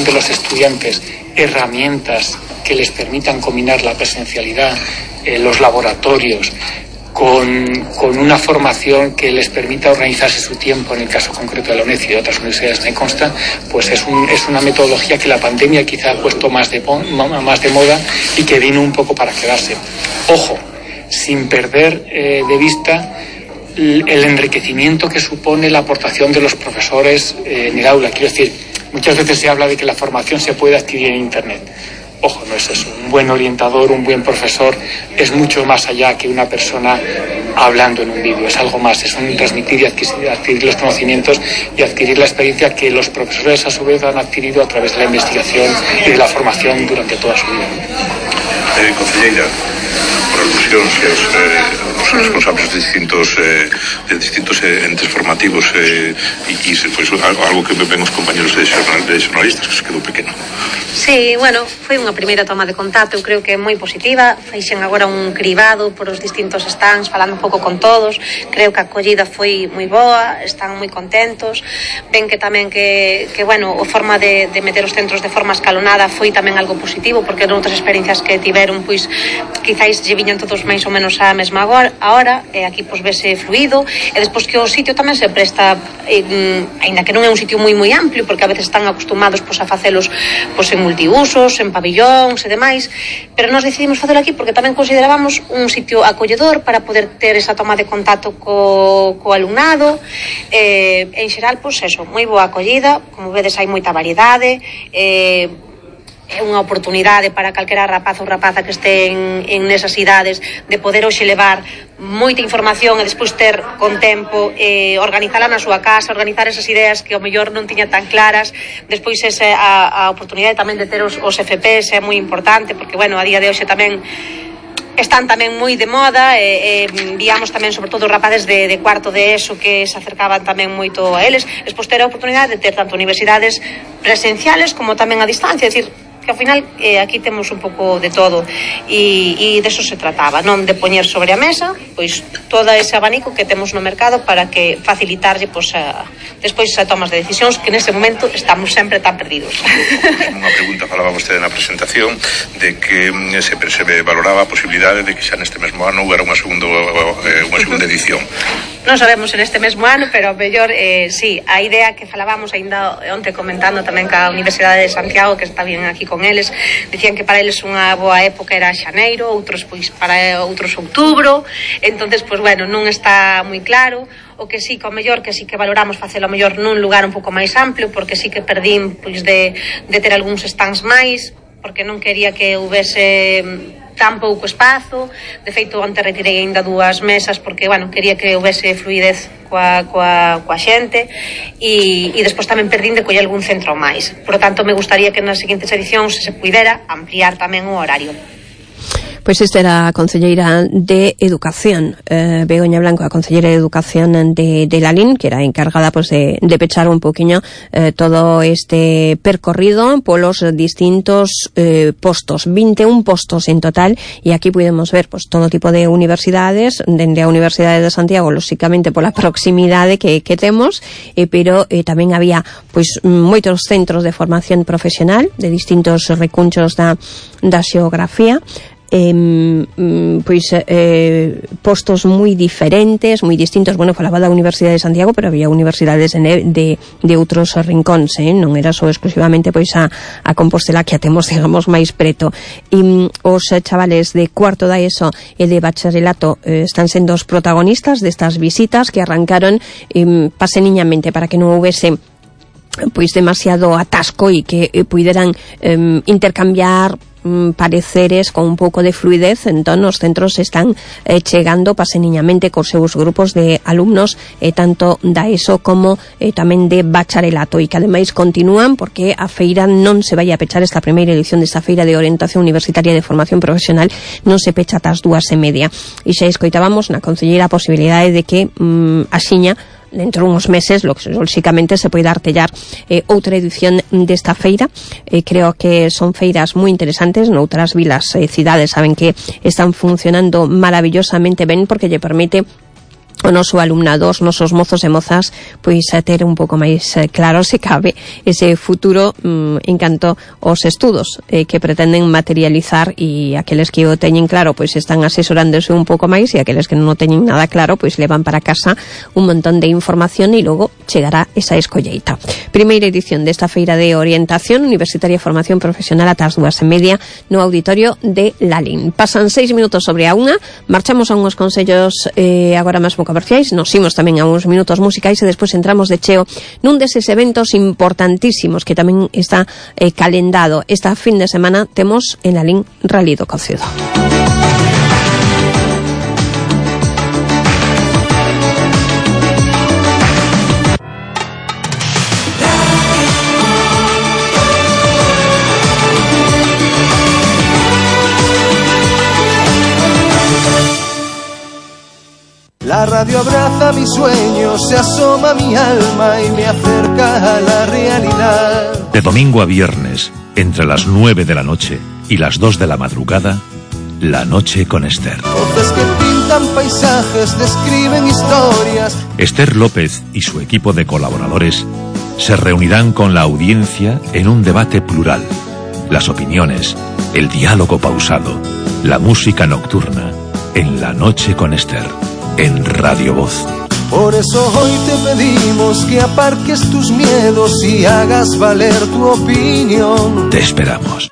de los estudiantes herramientas que les permitan combinar la presencialidad, los laboratorios, con una formación que les permita organizarse su tiempo, en el caso concreto de la UNED y de otras universidades me consta, pues es una metodología que la pandemia quizá ha puesto más de moda y que vino un poco para quedarse. Ojo, sin perder de vista el enriquecimiento que supone la aportación de los profesores en el aula. Quiero decir, muchas veces se habla de que la formación se puede adquirir en Internet. Ojo, no es eso. Un buen orientador, un buen profesor es mucho más allá que una persona hablando en un vídeo. Es algo más, es un transmitir y adquirir los conocimientos y adquirir la experiencia que los profesores a su vez han adquirido a través de la investigación y de la formación durante toda su vida. Concelleira, por alusións os responsables de distintos entes formativos e pois algo que ven os compañeros de xornalistas que se quedou pequeno. Sí, bueno, foi unha primeira toma de contacto, eu creo que é moi positiva. Feixen agora un cribado por os distintos stands, falando un pouco con todos. Creo que a acollida foi moi boa, están moi contentos. Ven que tamén que bueno, a forma de meter os centros de forma escalonada foi tamén algo positivo, porque noutras experiencias que tiveron, pois, quizáis lle viñan todos máis ou menos á mesma hora, e aquí pois vese fluido, e despois que o sitio tamén se presta, aínda que non é un sitio moi amplio, porque a veces están acostumados pois a facelos pois en multiusos, en pabillóns e demais, pero nós decidimos facelo aquí porque tamén considerábamos un sitio acolledor para poder ter esa toma de contacto co alumnado. En xeral, pois eso, moi boa acollida, como vedes hai moita variedade, é unha oportunidade para calquera rapaz ou rapaza que este en nesas idades de poder hoxe levar moita información e despois ter con tempo organizala na súa casa, organizar esas ideas que ao mellor non tiña tan claras. Despois a oportunidade tamén de ter os FPs é moi importante, porque bueno, a día de hoxe tamén están tamén moi de moda, víamos tamén sobre todo rapaces de cuarto de ESO que se acercaban tamén moito a eles. Despois ter a oportunidade de ter tanto universidades presenciales como tamén a distancia, é dicir, que ao final aquí temos un pouco de todo e deso se trataba, non de poñer sobre a mesa pois todo ese abanico que temos no mercado para que facilitarlle pois despois a tomas de decisións que nese momento estamos sempre tan perdidos. Unha pregunta, falaba vostede na presentación de que se valoraba a posibilidade de que xa neste mesmo ano houbera unha segunda edición. Non sabemos en este mesmo ano, pero mellor sí, a idea que falábamos aínda onte comentando tamén ca Universidade de Santiago, que está bien aquí con eles, dicían que para eles unha boa época era xaneiro, outros pois para outros outubro. Entonces, pois bueno, non está moi claro. O que sí que ao mellor, que sí que valoramos facelo ao mellor nun lugar un pouco máis amplio, porque sí que perdín pois de ter algúns stands máis, porque non quería que houvese tan pouco espazo. De feito, onte retirei aínda 2 mesas porque, bueno, quería que houvese fluidez coa xente e despois tamén perdín de coller algún centro máis. Por lo tanto, me gustaría que nas seguintes edicións se puidera ampliar tamén o horario. Pois esta era a concelleira de Educación, Begoña Blanco, a concelleira de Educación de Lalín, que era encargada pues de pechar un poquinho todo este percorrido polos distintos postos, 21 postos en total, e aquí podemos ver pues todo tipo de universidades, dende a Universidade de Santiago, lóxicamente pola proximidade que temos, pero tamén había pois moitos centros de formación profesional de distintos recunchos da xeografía, postos moi diferentes, moi distintos. Bueno, falaba da Universidade de Santiago, pero había universidades de outros rincóns, non era só exclusivamente pois a Compostela, que a temos, digamos, máis preto. E os chavales de cuarto da ESO e de bacharelato están sendo os protagonistas destas visitas que arrancaron paseniñamente para que non houvese pois demasiado atasco e que puideran intercambiar pareceres con un pouco de fluidez. Entón os centros están chegando paseniñamente cos seus grupos de alumnos, tanto da ESO como tamén de bacharelato, e que ademais continúan porque a feira non se vai a pechar. Esta primeira edición desta feira de orientación universitaria de formación profesional non se pecha ata as 2:30, e xa escoitábamos na concelleira a posibilidade de que axiña dentro de uns meses, lóxicamente, se poida artellar outra edición desta feira. Creo que son feiras moi interesantes. Noutras vilas e cidades saben que están funcionando maravillosamente ben, porque lle permite o noso alumnado, os nosos mozos e mozas, pois a ter un pouco máis claro, se cabe, ese futuro en canto aos estudos que pretenden materializar, e aqueles que o teñen claro, pois están asesorándose un pouco máis, e aqueles que non o teñen nada claro, pois levan para casa un montón de información e logo chegará esa escolleita. Primeira edición desta feira de orientación universitaria e formación profesional ata as 2:30 no auditorio de Lalín. Pasan 6 minutos sobre a 1, marchamos a unhos consellos agora mesmo comerciais, nos imos tamén a uns minutos musicais e despois entramos de cheo nun deses eventos importantísimos que tamén está calendado. Esta fin de semana temos en Lalín Rally do Cocido. La radio abraza mis sueños, se asoma a mi alma y me acerca a la realidad. De domingo a viernes, entre las 9 de la noche y las 2 de la madrugada, La Noche con Esther. Voces que pintan paisajes, describen historias. Esther López y su equipo de colaboradores se reunirán con la audiencia en un debate plural. Las opiniones, el diálogo pausado, la música nocturna, en La Noche con Esther. En Radio Voz. Por eso hoy te pedimos que aparques tus miedos y hagas valer tu opinión. Te esperamos.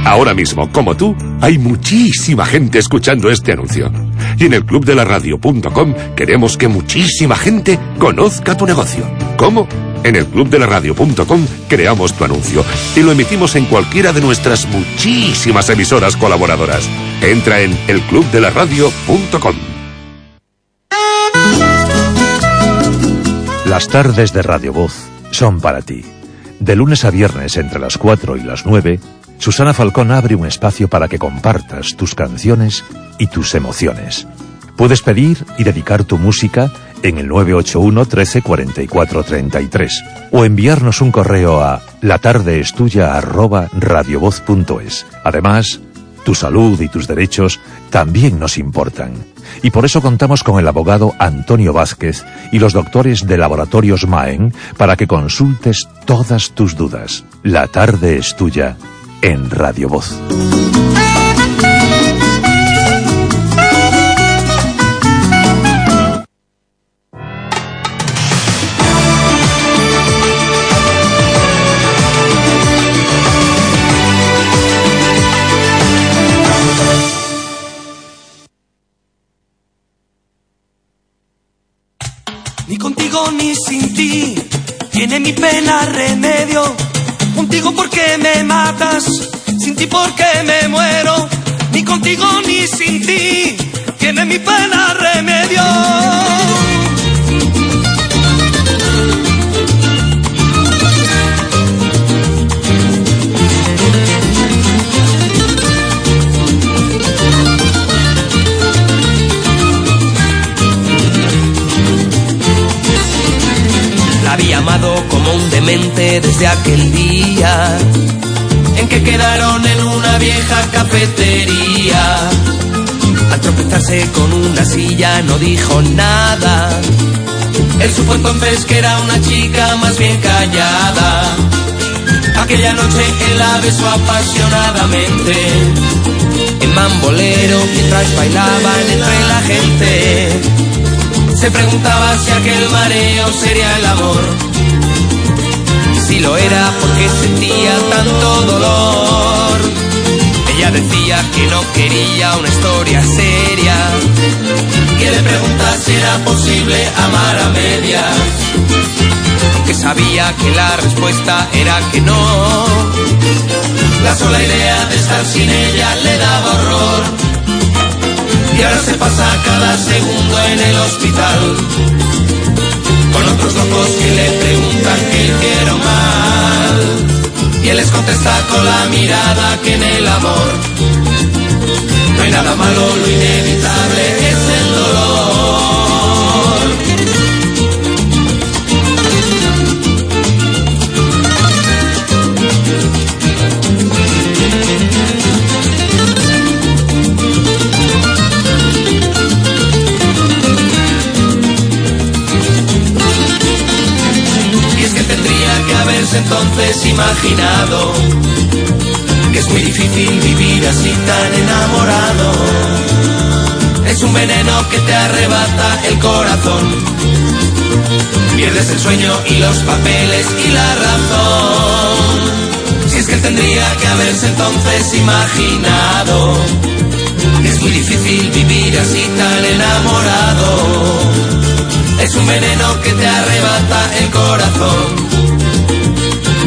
Ahora mismo, como tú, hay muchísima gente escuchando este anuncio. Y en el clubdelaradio.com queremos que muchísima gente conozca tu negocio. ¿Cómo? En el clubdelaradio.com creamos tu anuncio y lo emitimos en cualquiera de nuestras muchísimas emisoras colaboradoras. Entra en elclubdelaradio.com. Las tardes de Radio Voz son para ti. De lunes a viernes entre las 4 y las 9, Susana Falcón abre un espacio para que compartas tus canciones y tus emociones. Puedes pedir y dedicar tu música en el 981 13 44 33 o enviarnos un correo a latardeestuya@radiovoz.es. Además, tu salud y tus derechos también nos importan. Y por eso contamos con el abogado Antonio Vázquez y los doctores de Laboratorios Maen para que consultes todas tus dudas. La tarde es tuya en Radio Voz. Ni contigo ni sin ti tiene mi pena remedio. Contigo porque me matas, sin ti porque me muero. Ni contigo ni sin ti tiene mi pena remedio. La había amado como un demente desde aquel día en que quedaron en una vieja cafetería. Al tropezarse con una silla no dijo nada. Él supo entonces que era una chica más bien callada. Aquella noche él la besó apasionadamente en mambolero mientras bailaban entre la gente. Se preguntaba si aquel mareo sería el amor. Si lo era, porque sentía tanto dolor. Ella decía que no quería una historia seria, que le pregunta si era posible amar a medias, aunque sabía que la respuesta era que no. La sola idea de estar sin ella le daba horror. Y ahora se pasa cada segundo en el hospital con otros locos que le preguntan qué hicieron mal. Y él les contesta con la mirada que en el amor no hay nada malo, lo inevitable es el dolor. imaginado que es muy difícil vivir así tan enamorado. Es un veneno que te arrebata el corazón. Pierdes el sueño y los papeles y la razón. Si es que él tendría que haberse entonces imaginado que es muy difícil vivir así tan enamorado. Es un veneno que te arrebata el corazón.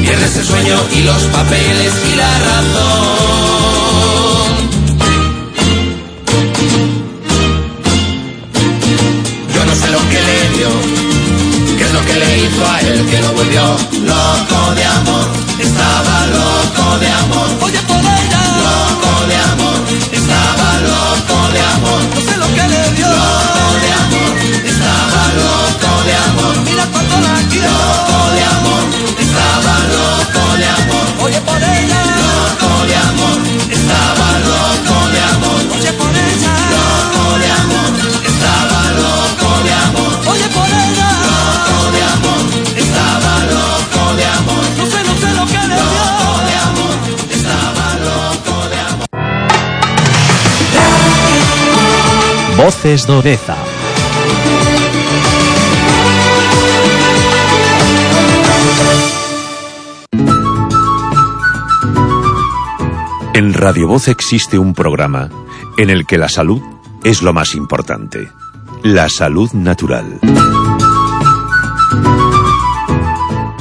Pierdes el sueño y los papeles y la razón. Yo no sé lo que le dio, qué es lo que le hizo a él, que lo volvió loco de amor. Estaba loco de amor. Oye, por ella. Loco de amor. Estaba loco de amor. No sé lo que le dio. Loco de amor. Estaba loco de amor. Mira cuánto la quiero. Loco de amor. Estaba loco de amor. Oye, por ella. Loco de amor. Estaba loco de amor. Oye, por ella. Loco de amor. Estaba loco de amor. Oye, por ella. Loco de amor. Estaba loco de amor. No sé lo que le dio. Loco de amor. Estaba loco de amor. Voces do Deza. En Radio Voz existe un programa en el que la salud es lo más importante. La salud natural.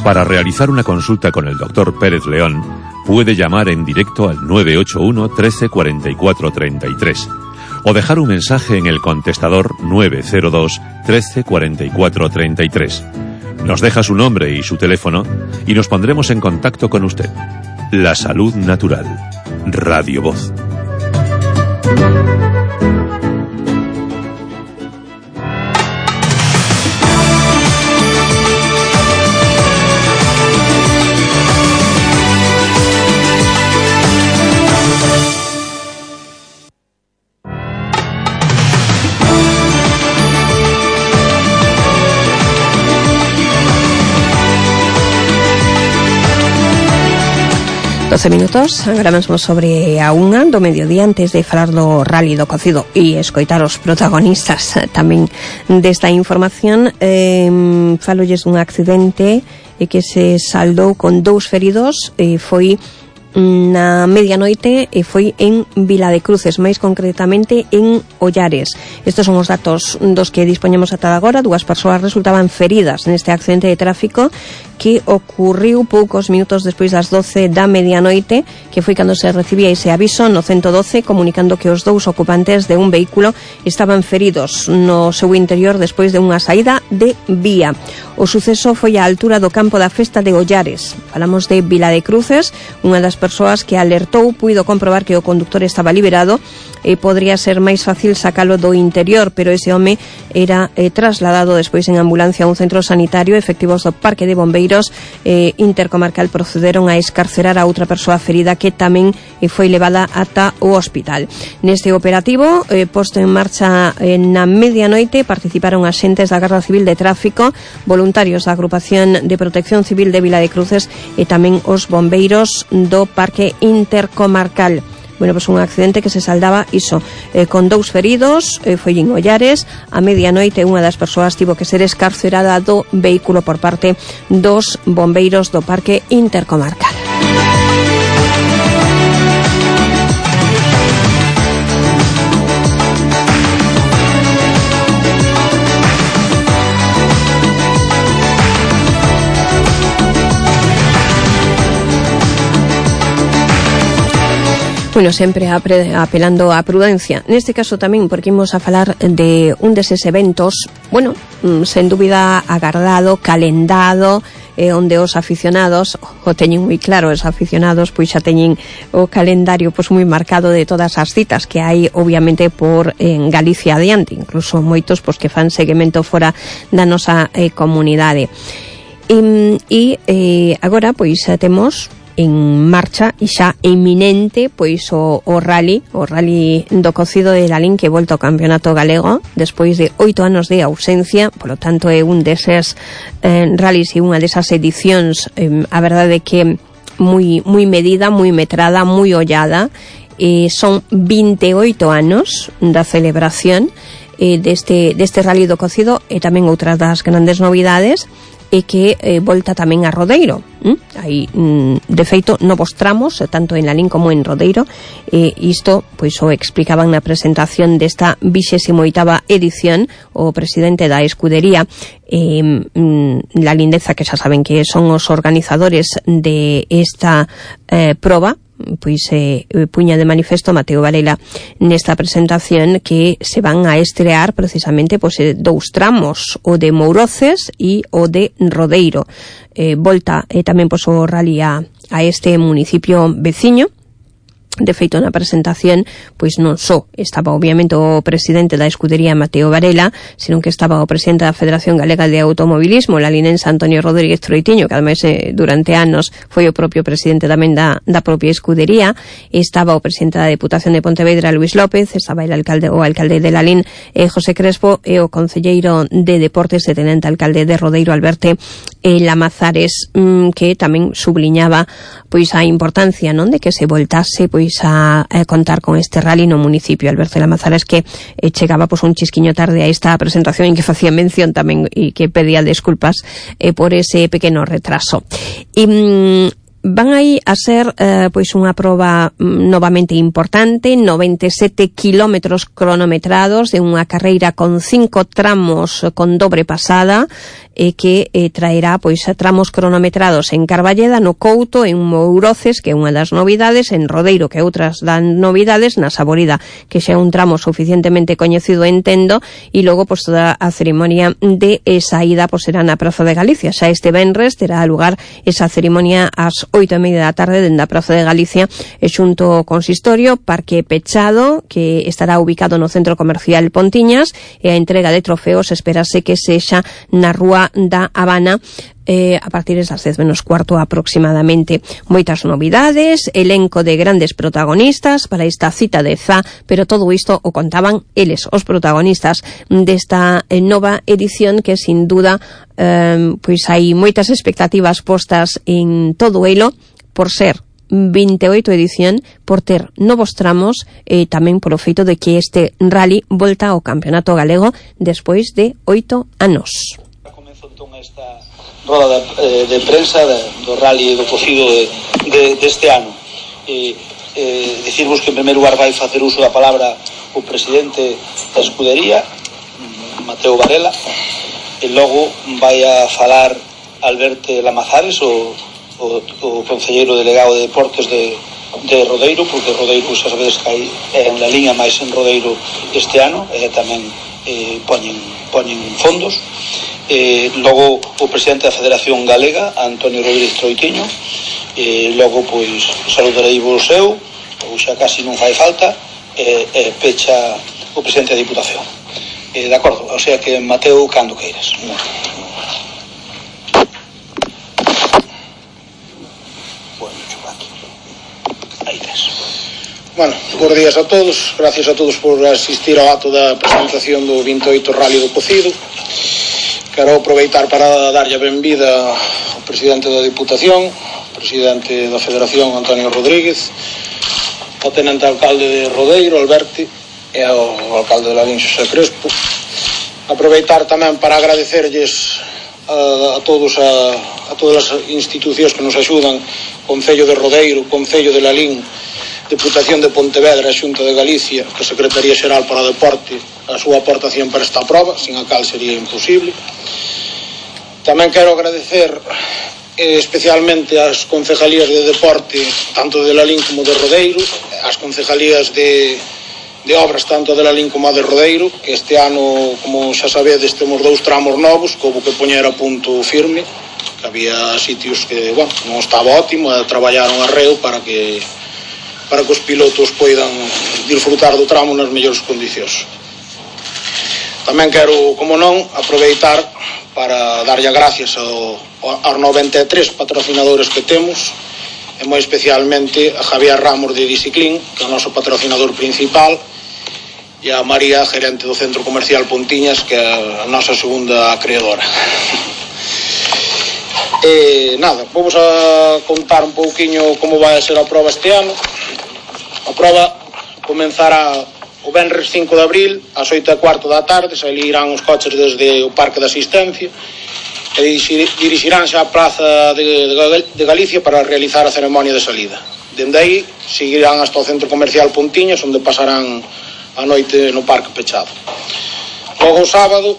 Para realizar una consulta con el Dr. Pérez León, puede llamar en directo al 981 13 44 33 o dejar un mensaje en el contestador 902 13 44 33. Nos deja su nombre y su teléfono y nos pondremos en contacto con usted. La salud natural. Radio Voz. Minutos, agora mesmo sobre a unha do mediodía, antes de falar do rally do cocido e escoitar os protagonistas tamén desta información. Falolles dun accidente que se saldou con 2 feridos, foi na medianoite e foi en Viladecruces, máis concretamente en Ollares. Estes son os datos dos que dispoñemos ata agora. 2 persoas resultaban feridas neste accidente de tráfico que ocurriu poucos minutos despois das 12 da medianoite, que foi cando se recibía ese aviso no 112 comunicando que os 2 ocupantes de un vehículo estaban feridos no seu interior despois de unha saída de vía. O suceso foi á altura do campo da festa de Ollares. Falamos de Viladecruces. Unha das persoas que alertou puido comprobar que o conductor estaba liberado e podría ser máis fácil sacalo do interior, pero ese home era trasladado despois en ambulancia a un centro sanitario. Efectivos do Parque de Bombeiros intercomarcal procederon a escarcerar a outra persoa ferida que tamén foi levada ata o hospital. Neste operativo posto en marcha na medianoite participaron axentes da Garda Civil de Tráfico, voluntarios da Agrupación de Protección Civil de Viladecruces e tamén os bombeiros do Parque Intercomarcal. Bueno, pues un accidente que se saldaba iso con 2 feridos, foi en Ollares. A medianoite unha das persoas tivo que ser escarcerada do vehículo por parte dos bombeiros do Parque Intercomarcal. Bueno, sempre apelando á prudencia. Neste caso tamén porque imos a falar de un deses eventos, bueno, sen dúbida agardado, calendado, onde os aficionados o teñen moi claro. Os aficionados pois xa teñen o calendario pois moi marcado de todas as citas que hai obviamente por en Galicia adiante, incluso moitos pois que fan seguimento fora da nosa comunidade. E agora pois temos en marcha e xa eminente pois o rally do cocido de Lalín, que volta ao campeonato galego despois de 8 anos de ausencia. Por lo tanto é un deses rallies e unha desas edicións, a verdade que moi medida, moi metrada, moi ollada. Son 28 anos da celebración deste rally do cocido, e tamén outras das grandes novidades e que volta tamén a Rodeiro. Hai, de feito, novos tramos, tanto en Lalín como en Rodeiro. Isto, pois, o explicaban na presentación desta 28ª edición o presidente da escudería, La Lindeza, que xa saben que son os organizadores de esta proba. Pois puña de manifesto Mateo Varela nesta presentación que se van a estrear precisamente pois, dous tramos, o de Mouroces e o de Rodeiro. Volta tamén pois, o rally a este municipio veciño. De feito, na presentación, pois non só estaba obviamente o presidente da escudería Mateo Varela, senón que estaba o presidente da Federación Galega de Automobilismo, la linense Antonio Rodríguez Troitiño, que ademais durante anos foi o propio presidente tamén da propia escudería. Estaba o presidente da Deputación de Pontevedra, Luis López, estaba o alcalde de Lalín, José Crespo, e o concelleiro de Deportes e tenente alcalde de Rodeiro, Alberto Lamazares, que tamén subliñaba pois a importancia, non, de que se voltase pois a contar con este rally no municipio. Alberto Lamazares, que chegaba pois un chisquiño tarde a esta presentación, en que facía mención tamén e que pedía desculpas por ese pequeno retraso. Van aí a ser pois unha proba novamente importante, 97 kilómetros cronometrados de unha carreira con 5 tramos con dobre pasada, que traerá pois tramos cronometrados en Carballeda, no Couto, en Mouroces, que é unha das novidades, en Rodeiro, que é outras das novidades, na Saborida, que xa é un tramo suficientemente coñecido, entendo, e logo pois toda a ceremonia de saída pois será na Praza de Galicia. Xa este venres terá lugar esa ceremonia ás 8:30 da tarde dende a Praza de Galicia, e xunto ao consistorio, parque pechado, que estará ubicado no Centro Comercial Pontiñas, e a entrega de trofeos esperase que sexa na Rúa da Habana a partir das 10:15 aproximadamente. Moitas novidades, elenco de grandes protagonistas para esta cita de ZA, pero todo isto o contaban eles, os protagonistas desta nova edición, que sin duda pois hai moitas expectativas postas en todo elo, por ser 28 edición, por ter novos tramos e tamén polo feito de que este rally volta ao Campeonato Galego despois de 8 anos. Comezou entón esta roda de prensa do rally do cocido deste ano. Dicirvos que en primeiro lugar vai facer uso da palabra o presidente da escudería, Mateo Varela, e logo vai a falar Alberto Lamazares, o concelleiro delegado de Deportes de Rodeiro, porque Rodeiro xa sabedes que é unha liña máis en Rodeiro este ano, e tamén poñen fondos. Logo o presidente da Federación Galega, Antonio Rodríguez Troitiño, logo pois saludarei vos eu, ou xa casi non fai falta, pecha o presidente da Diputación. De acordo, o sea que Mateo, cando queiras. Bueno, bons días a todos, gracias a todos por asistir ao acto da presentación do 28 Rally do Cocido. Quero aproveitar para darlle a benvida ao presidente da Diputación, presidente da Federación, Antonio Rodríguez, ao tenente alcalde de Rodeiro, Alberti, e ao alcalde de Lalín, José Crespo. Aproveitar tamén para agradecerlles a todas as institucións que nos axudan, Concello de Rodeiro, Concello de Lalín, Deputación de Pontevedra, Xunta de Galicia, a Secretaría Xeral para o Deporte, a súa aportación para esta proba, sin a cal sería imposible. Tamén quero agradecer especialmente ás concejalías de deporte, tanto de Lalín como de Rodeiro, as concejalías de obras, tanto de Lalín como a de Rodeiro, que este ano, como xa sabedes, temos 2 tramos novos, que houve que poñer a punto firme, que había sitios que, bueno, non estaba ótimo, e traballaron arreo para que os pilotos poidan disfrutar do tramo nas mellores condicións. Tamén quero, como non, aproveitar para darlle gracias aos 93 patrocinadores que temos, e moi especialmente a Javier Ramos de Biciclín, que é o noso patrocinador principal, e a María, gerente do Centro Comercial Pontiñas, que é a nosa segunda acreedora. Nada, vamos a contar un pouquiño como vai a ser a proba este ano. A proba comenzará o venres 5 de abril ás 8:15 da tarde. Sairán os coches desde o Parque de Asistencia e dirixiránse á Praza de Galicia para realizar a ceremonia de salida. Dende aí seguirán hasta o Centro Comercial Pontiñas, onde pasarán a noite no parque pechado. Logo o sábado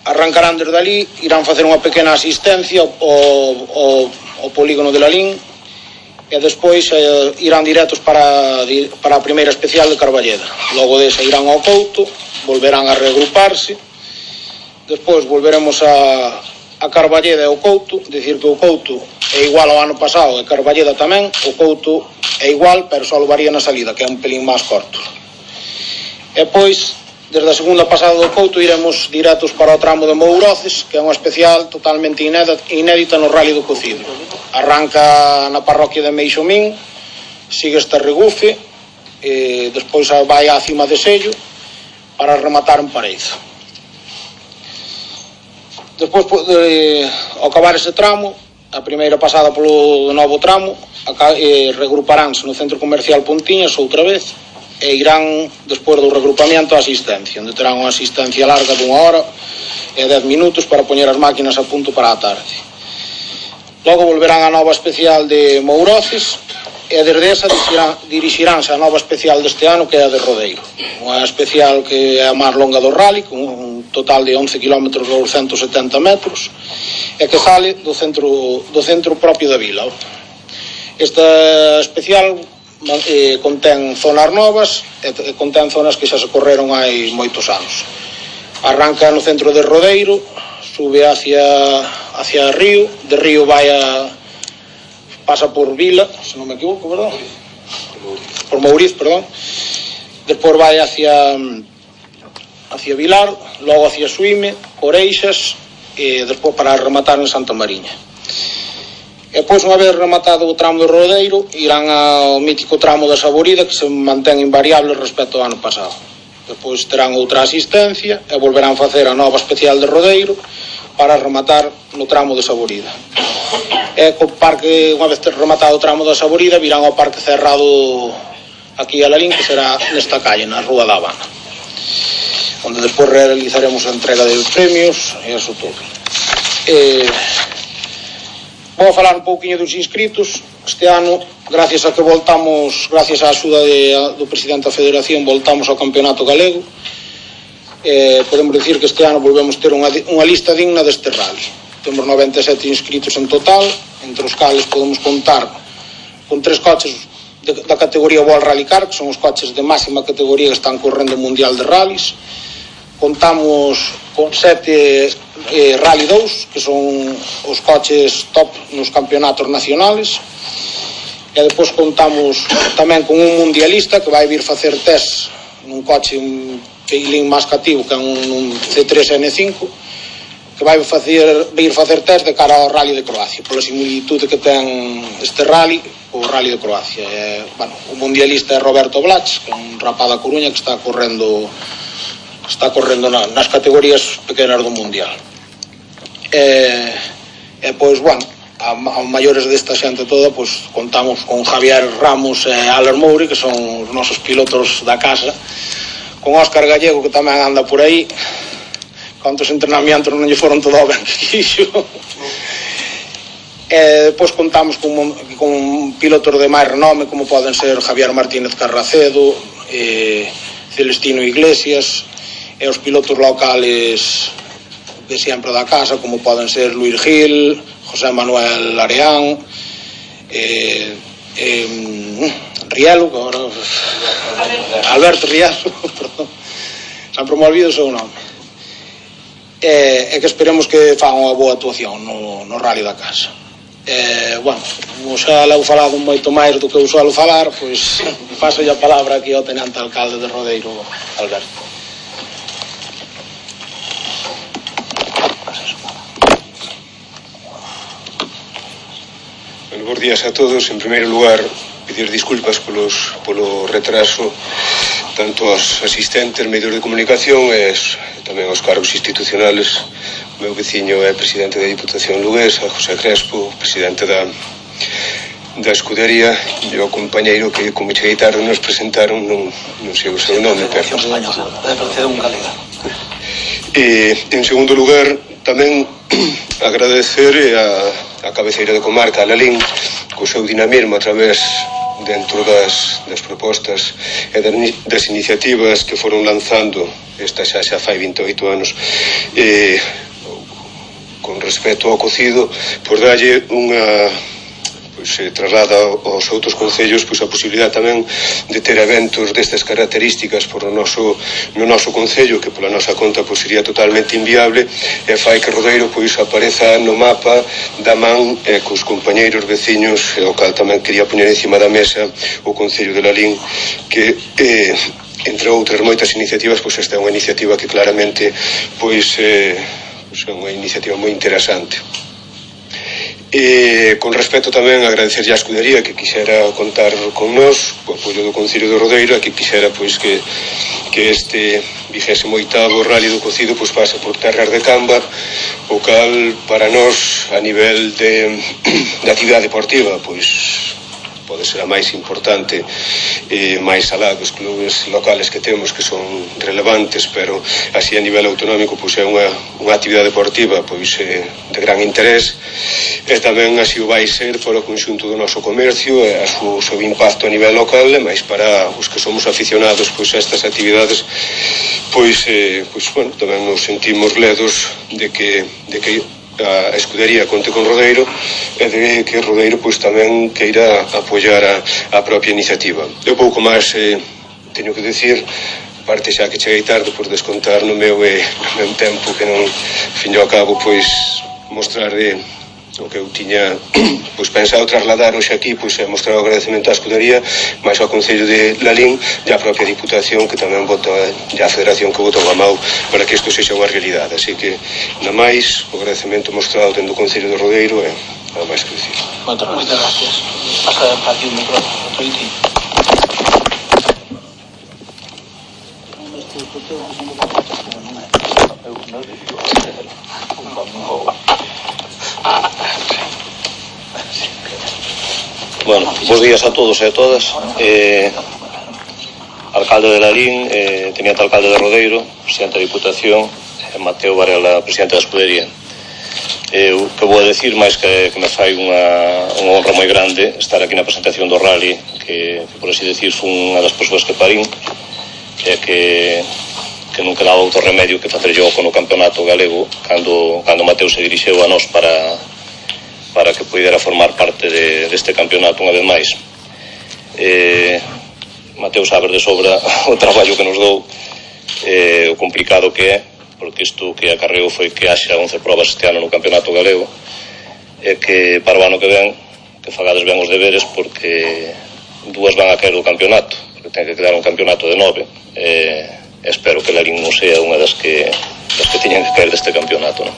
arrancarán desde ali, irán facer unha pequena asistencia ao polígono de Lalín e despois irán directos para a primeira especial de Carballeda. Logo desa irán ao Couto, volverán a reagruparse, despois volveremos a Carballeda e ao Couto, dicir que o Couto é igual ao ano pasado e Carballeda tamén. O Couto é igual, pero só varía na salida, que é un pelín máis corto. E pois, desde a segunda pasada do Couto iremos directos para o tramo de Mouroces, que é unha especial totalmente inédita no Rally do Cocido. Arranca na parroquia de Meixomín, sigue este Regufe, e despois vai á cima de Sello para rematar en Pareizo. Despois, ao acabar ese tramo, a primeira pasada polo novo tramo, regruparánse no Centro Comercial Pontiñas outra vez e irán, despois do regrupamento, a asistencia, onde terán unha asistencia larga de 1 hora e 10 minutos para poñer as máquinas a punto para a tarde. Logo volverán a nova especial de Mouroces e desde esa dirixiránse a nova especial deste ano, que é a de Rodeiro, unha especial que é a máis longa do rally, con un total de 11 km e 270 metros, e que sale do centro propio da vila. Esta especial contén zonas novas e contén zonas que xa se correron hai moitos anos. Arranca no centro de Rodeiro, sube hacia Río, de Río pasa por Vila, se non me equivoco, verdad? Por Mouriz, perdón. Despois vai hacia Vilar, logo hacia Suime, Oreixas e despois para rematar en Santa Mariña. E pois, unha vez rematado o tramo de Rodeiro, irán ao mítico tramo da Saborida, que se mantén invariable respecto ao ano pasado. Despois terán outra asistencia e volverán facer a nova especial de Rodeiro para rematar no tramo de Saborida. E co parque, unha vez rematado o tramo da Saborida, virán ao parque cerrado aquí a Lalín, que será nesta calle, na Rúa da Habana, onde despois realizaremos a entrega de premios e eso todo. Vou falar un pouquinho dos inscritos. Este ano, gracias a que voltamos, gracias á axuda do presidente da Federación, voltamos ao campeonato galego. Podemos dicir que este ano volvemos ter unha lista digna deste rally. Temos 97 inscritos en total, entre os cales podemos contar con 3 coches da categoría World Rally Car, que son os coches de máxima categoría que están correndo o Mundial de Rallys. Contamos con 7 Rally 2, que son os coches top nos campeonatos nacionales, e depois contamos tamén con un mundialista que vai vir facer test nun coche un pelín máis cativo, que é un C3 N5, que vai vir facer test de cara ao Rally de Croacia, pola similitude que ten este rally o Rally de Croacia. O mundialista é Roberto Blach, que é un rapaz da Coruña que está correndo nas categorías pequenas do mundial. Pois, a maiores desta xente toda, pois contamos con Javier Ramos e Aler Mouri, que son os nosos pilotos da casa, con Óscar Gallego, que tamén anda por aí. Cantos entrenamientos non lle foron todo ben que quixo. Depois contamos con pilotos de máis renome, como poden ser Javier Martínez Carracedo, Celestino Iglesias, e os pilotos locales de sempre da casa, como poden ser Luis Gil, José Manuel Areán, Rielo, que agora Alberto Rielo, perdón, sempre me olvido o seu nome. E que esperemos que fagan unha boa actuación no rally da casa. Como xa leu falado moito máis do que eu suelo falar, pois paso a palabra aquí ao tenente alcalde de Rodeiro, Alberto. Buenos días a todos. En primeiro lugar, pedir disculpas polo retraso tanto aos asistentes, medios de comunicación e tamén aos cargos institucionales meu veciño é presidente da Diputación Luguesa, José Crespo, presidente da escudería, e o compañeiro que, como cheguei tarde, nos presentaron, non sei o seu nome, pero... E, en segundo lugar, tamén agradecer a cabeceira de comarca, a Lalín, co seu dinamismo a través dentro das propostas e das iniciativas que foron lanzando, esta xa fai 28 anos, con respecto ao cocido, por dalle unha, traslada aos outros concellos a posibilidade tamén de ter eventos destas características no noso concello, que pola nosa conta sería totalmente inviable, e fai que Rodeiro apareza no mapa da man cos compañeiros veciños, e o cal tamén quería poñer encima da mesa o concello de Lalín, que entre outras moitas iniciativas, esta é unha iniciativa que claramente é unha iniciativa moi interesante. E con respecto tamén a agradecerlle a escudería que quixera contar con nós, o apoio do Concello de Rodeiro, e que quixera que este 28º Rally do Cocido pase por terras de Cambar, o cal para nós a nivel de actividade deportiva pode ser a máis importante, máis alá dos clubes locales que temos, que son relevantes, pero así a nivel autonómico é unha actividade deportiva de gran interés, e tamén así o vai ser para o conxunto do noso comercio e o seu impacto a nivel local, e máis para os que somos aficionados a estas actividades, tamén nos sentimos ledos de que a escudería conte con Rodeiro e de que Rodeiro tamén queira apoiar a propia iniciativa. Eu pouco máis teño que decir, parte xa que cheguei tarde por descontar no meu tempo, que non, fin ao cabo, mostrar o que eu tiña pensado trasladar hoxe aquí, mostrar o agradecemento á escudería, máis ao Concello de Lalín e á propia Diputación, que tamén vota, e á Federación que votou a mau para que isto sexa unha realidade. Así que, na máis, o agradecemento mostrado dentro do Concello de Rodeiro é nada máis que dicir. Moitas gracias. Pasa aquí o micrófono, Toiti. Bueno, bons días a todos e a todas. Alcalde de Lalín, teniente alcalde de Rodeiro, presidente da Diputación, Mateo Varela, presidente da escudería. O que vou a decir, máis que me fai unha honra moi grande estar aquí na presentación do rally, que por así decir foi unha das persoas que parín, e que non quedaba outro remedio que facer yo con o campeonato galego cando Mateo se dirixeu a nós para que pudera formar parte deste campeonato unha vez máis. Mateo sabe de sobra o traballo que nos dou, o complicado que é, porque isto que acarreo foi que haxa 11 probas este ano no campeonato galego, e que para o ano que ven que fagades ben os deberes, porque 2 van a caer do campeonato, porque ten que quedar un campeonato de 9, espero que Lalín non sea unha das que teñan que caer deste campeonato, non?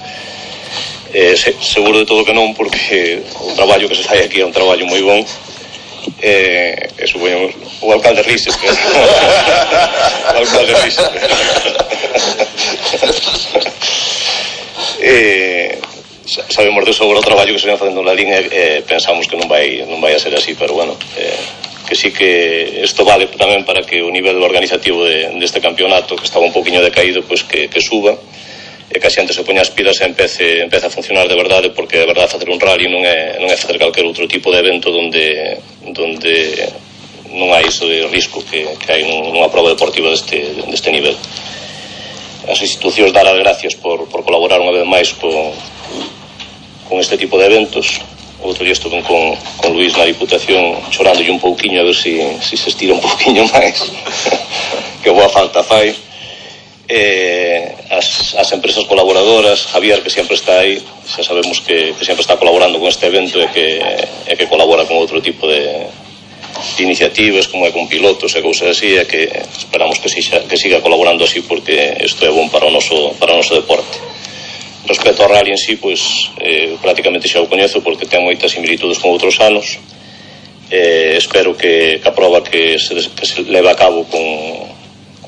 Seguro de todo que non, porque o traballo que se fai aquí é un traballo moi bon, e supoñemos o alcalde Rises o alcalde Rises sabemos de sobra o traballo que se ven facendo na Lalín, e pensamos que non vai a ser así, pero bueno, que sí que isto vale tamén para que o nivel organizativo deste campeonato, que estaba un poquinho decaído, que suba, e que a xente se poña as pilas e empece a funcionar de verdade, porque de verdade facer un rally non é facer calquer outro tipo de evento onde non hai iso de risco que hai nunha prova deportiva deste nivel. As institucións dar as gracias por colaborar unha vez máis con este tipo de eventos. Outro día estuve con Luís na Diputación chorándolle un pouquiño a ver se estira un pouquiño máis que boa falta fai. As empresas colaboradoras, Javier, que sempre está aí, xa sabemos que sempre está colaborando con este evento e que colabora con outro tipo de iniciativas, como é con pilotos e cousas así, e que esperamos que siga colaborando así, porque isto é bon para o noso deporte. Respecto ao rally en sí, prácticamente xa o coñezo, porque ten moitas similitudes con outros anos. Espero que a prova que se leva a cabo con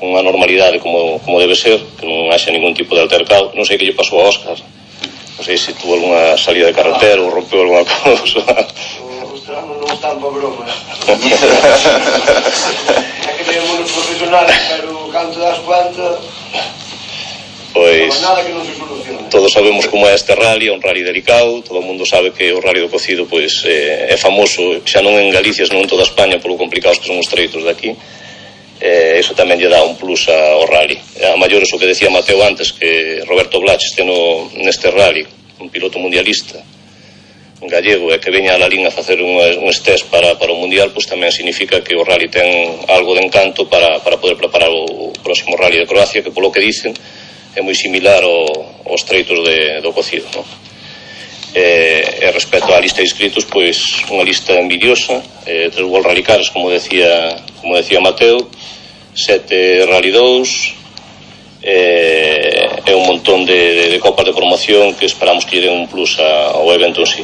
unha normalidade como debe ser, que non haxa ningún tipo de altercado. Non sei que lle pasou a Óscar, non sei se tuvo alguna salida de carretera ou rompeu alguna cousa. Os tramos non están para broma. É que temos uns profesionales, pero canto das cuantas... Pois todos sabemos como é este rally, é un rally delicado, todo o mundo sabe que o rally do cocido pois é famoso xa non en Galicia, senón en toda España polo complicados que son os treitos de aquí. Eso tamén lle dá un plus ao rally. A maiores o que decía Mateo antes, que Roberto Blach este neste rally, un piloto mundialista gallego, e que veña a Lalín a facer un test para o mundial, pois tamén significa que o rally ten algo de encanto para poder preparar o próximo rally de Croacia, que polo que dicen é moi similar aos treitos do cocido, non? E respecto á lista de inscritos, pois unha lista envidiosa, 3 World Rally Cars, como decía Mateo, 7 Rally 2, e un montón de copas de promoción que esperamos que lle den un plus ao evento en sí.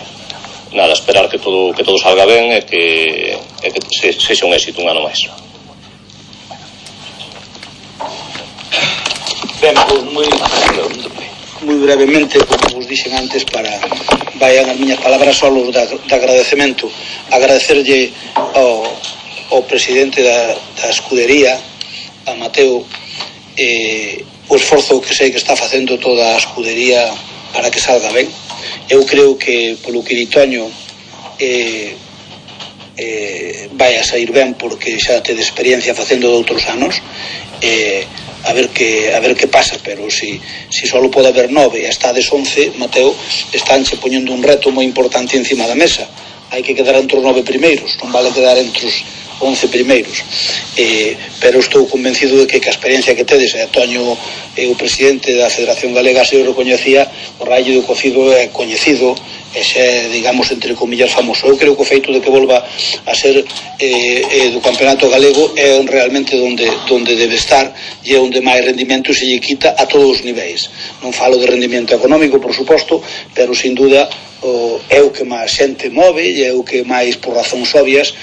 Nada, esperar que todo salga ben e que sexa un éxito un ano máis. Ben, moi brevemente, como vos dixen antes, vayan as miñas palabras solos de agradecemento. Agradecerlle ao presidente da escudería, a Mateo, o esforzo que sei que está facendo toda a escudería para que salga ben. Eu creo que polo que Toño vai a sair ben, porque xa te de experiencia facendo de outros anos. A ver que pasa, pero si só pode haber 9 e estades 11, Mateo, estánche poñendo un reto moi importante encima da mesa. Hai que quedar entre os 9 primeiros, non vale quedar entre os 11 primeiros. Pero estou convencido de que a experiencia que tedes, e Toño o presidente da Federación Galega se o recoñecía, o rally do cocido é coñecido, e xa, digamos, entre comillas, famoso. Eu creo que o feito de que volva a ser do campeonato galego é realmente onde debe estar, e é onde máis rendimento se lle quita a todos os niveis. Non falo de rendimento económico, por suposto, pero sin duda é o que máis xente move, e é o que máis, por razóns obvias,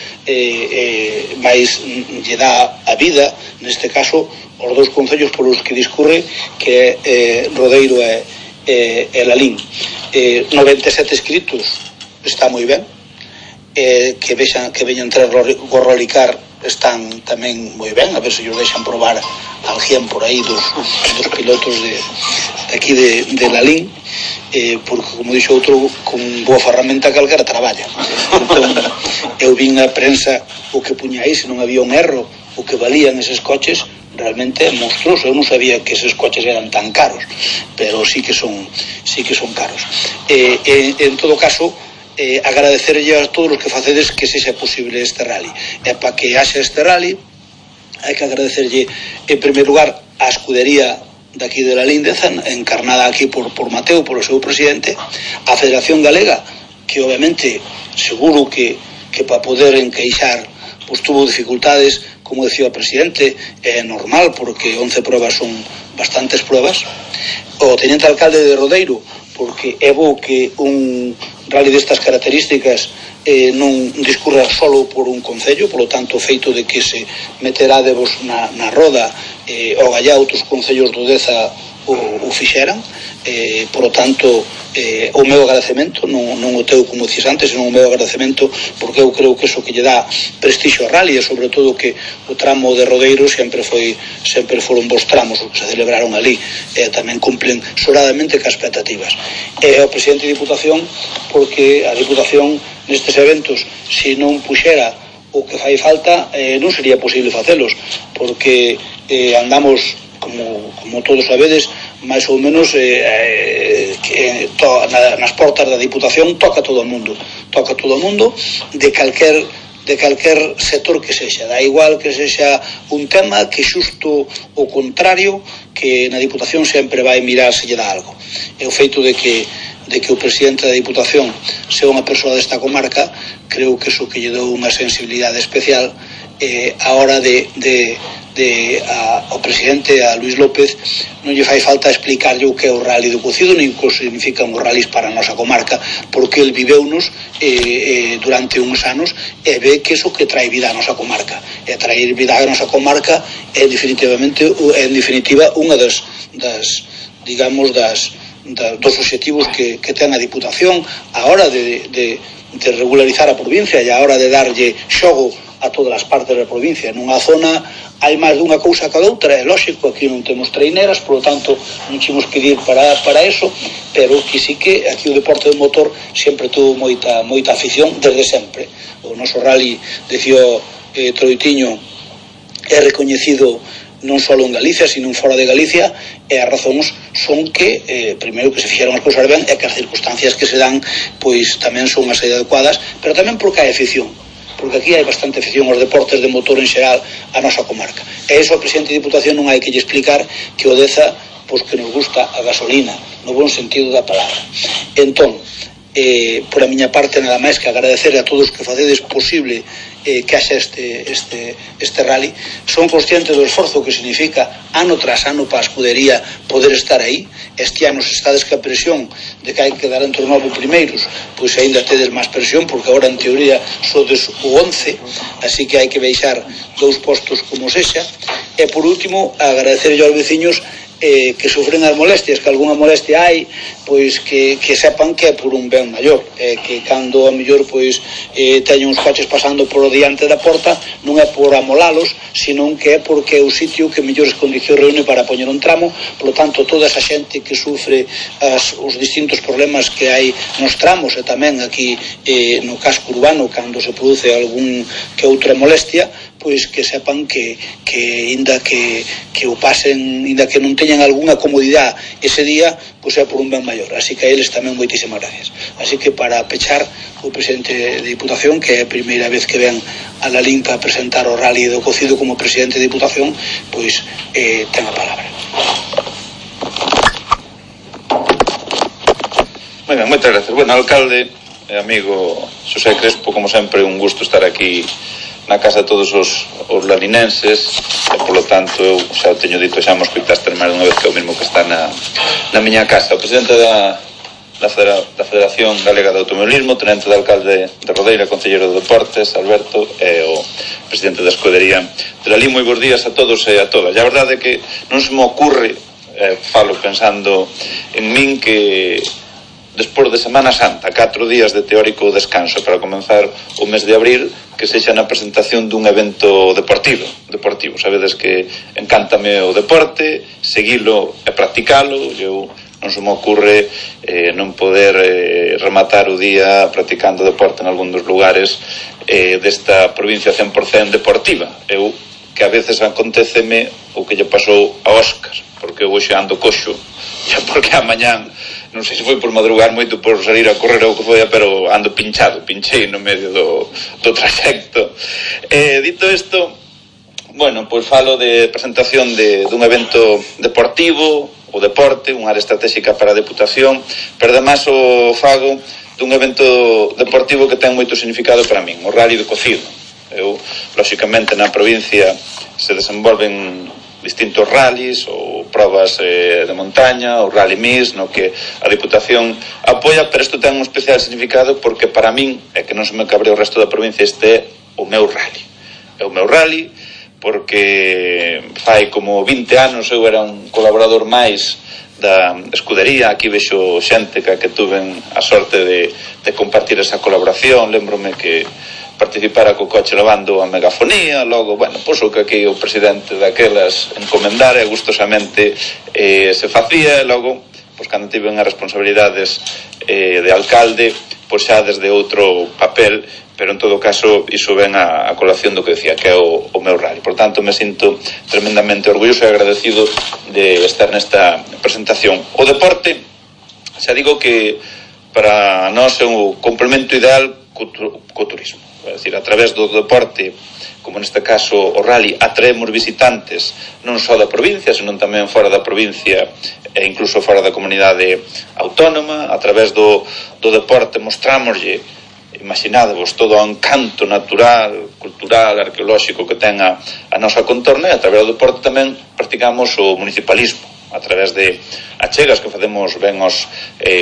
máis lle dá a vida, neste caso, os dous concellos polos que discurre, que é Rodeiro e Lalín. 97 inscritos está moi ben, que veñan 3 Rally Car están tamén moi ben, a ver se os deixan probar alguén por aí dos pilotos de aquí de Lalín, porque, como dixo outro, con boa ferramenta calquera traballa. Entón, eu vin a prensa o que puña aí, se non había un erro, o que valían eses coches, realmente é monstruoso. Eu non sabía que eses coches eran tan caros, pero sí que son caros. En todo caso, agradecerlle a todos os que facedes que sexa posible este rally. E para que haxa este rally, hai que agradecerlle, en primeiro lugar, a escudería daqui de Lalín, encarnada aquí por Mateo, polo seu presidente, a Federación Galega, que obviamente seguro que para poder encaixar pois tuvo dificultades, como decía o presidente, é normal, porque 11 pruebas son bastantes pruebas. O teniente alcalde de Rodeiro, porque é bo que un rally destas características non discurra solo por un concello, polo tanto o feito de que se meterádevos na roda o gallá outros concellos do Deza o fixeran, polo tanto o meu agradecemento, non o teu como dices antes, senón o meu agradecemento, porque eu creo que eso que lle dá prestixio ao rally, e sobre todo que o tramo de Rodeiro sempre foron bons tramos os que se celebraron ali, e tamén cumplen sobradamente cas expectativas. E ao presidente de Diputación, porque a Diputación nestes eventos, se non puxera o que fai falta, non sería posible facelos, porque andamos, como todos sabedes, máis ou menos nas portas da Diputación toca todo o mundo de calquer sector que sexa, da igual que sexa un tema, que xusto o contrario, que na Diputación sempre vai mirar se lle dá algo. E o feito de que o presidente da Diputación sea unha persoa desta comarca, creo que iso que lle dou unha sensibilidade especial a hora ao presidente, a Luís López, non lle fai falta explicarlle o que é o rally do cocido, nin que significan os rallies para a nosa comarca, porque el viveunos durante uns anos e ve que iso que trae vida a nosa comarca, e traer vida a nosa comarca é en definitiva unha das dos obxectivos que ten a Diputación a hora de regularizar a provincia e a hora de darlle xogo a todas as partes da provincia. Nunha zona hai máis dunha cousa que a outra, é lógico, aquí non temos treineras, por lo tanto non temos que ir para eso, pero que sí que aquí o deporte do motor sempre tuvo moita afición desde sempre. O noso rally, decía Troitiño, é recoñecido non só en Galicia, sino fora de Galicia, e as razóns son que primeiro que se fixeron as cousas ben e que as circunstancias que se dan pois tamén son as adecuadas, pero tamén porque hai afición, porque aquí hai bastante afición aos deportes de motor en xeral a nosa comarca, e iso ao presidente de Diputación non hai que lle explicar que o Deza pois que nos gusta a gasolina no bon sentido da palabra. Entón, por a miña parte nada máis que agradecer a todos que facedes posible que haxa este rally. Son conscientes do esforzo que significa ano tras ano para a escudería poder estar aí. Este ano se estades que a presión de que hai que dar entre os 9 primeiros, pois ainda tedes máis presión, porque agora en teoría sodes o 11, así que hai que baixar 2 postos como sexa. E por último, agradecer aos veciños que sufren as molestias, que algunha molestia hai, pois que sepan que é por un ben maior, que cando a mellor pois teñen uns coches pasando por diante da porta, non é por amolalos, senón que é porque é o sitio que mellores condicións reúne para poñer un tramo. Por lo tanto, toda esa xente que sufre os distintos problemas que hai nos tramos e tamén aquí no casco urbano cando se produce algún que outra molestia, pois que sepan que inda que o pasen, inda que non teñan algunha comodidade ese día, pois é por un ben maior. Así que a eles tamén moitísimas gracias. Así que para pechar, o presidente de Diputación, que é a primeira vez que ven a la Limpa a presentar o rally do cocido como presidente de Diputación, pois ten a palabra. Moi ben, moitas gracias. Bueno, alcalde e amigo Xosé Crespo, como sempre un gusto estar aquí na casa de todos os lalinenses, e polo tanto eu xa o teño dito, xa mos coitaste máis dunha vez que é o mesmo que está na miña casa. O presidente da Federación Galega de Automobilismo, tenente de alcalde de Rodeira, concelleiro de Deportes, Alberto, e o presidente da escudería de Lalín. Moi bons días a todos e a todas. E a verdade é que non se me ocurre, falo pensando en min, que despois de Semana Santa, 4 días de teórico descanso para comenzar o mes de abril, que sexa na presentación dun evento deportivo. Sabedes que encántame o deporte, seguilo e practicalo. Eu non se me ocurre non poder rematar o día practicando deporte en algún dos lugares desta provincia 100% deportiva. Eu, que a veces aconteceme o que lle pasou a Óscar, porque eu hoxe ando coxo, xa porque a mañán non sei se foi por madrugar moito, por salir a correr ou que foi, pero ando pinchei no medio do trayecto. Dito isto, bueno, pois falo de presentación dun evento deportivo, o deporte, unha área estratégica para a Deputación, pero además o fago dun evento deportivo que ten moito significado para min, o Rally do Cocido. Eu, lóxicamente, na provincia se desenvolven distintos rallies ou probas de montaña, o Rally Mix, no que a Diputación apoia, pero isto ten un especial significado porque para min, é que non se me cabre o resto da provincia, este é o meu rally. É o meu rally porque fai como 20 anos eu era un colaborador máis da escudería. Aquí vexo xente que tuven a sorte de compartir esa colaboración. Lembrome que participara co coche levando a megafonía, logo, bueno, pois o que aquí o presidente daquelas encomendara e gustosamente se facía, e logo, pois cando tiven as responsabilidades de alcalde, pois xa desde outro papel, pero en todo caso iso ven a colación do que decía, que é o meu rally. Por tanto, me sinto tremendamente orgulloso e agradecido de estar nesta presentación. O deporte, xa digo que para nós é o complemento ideal co turismo. É dicir, a través do deporte, como neste caso o rally, atraemos visitantes non só da provincia, senón tamén fora da provincia e incluso fora da comunidade autónoma. A través do deporte mostrámoslle, imaginadevos, todo o encanto natural, cultural, arqueolóxico que ten a nosa contorna, e a través do deporte tamén practicamos o municipalismo, a través de achegas que facemos ben aos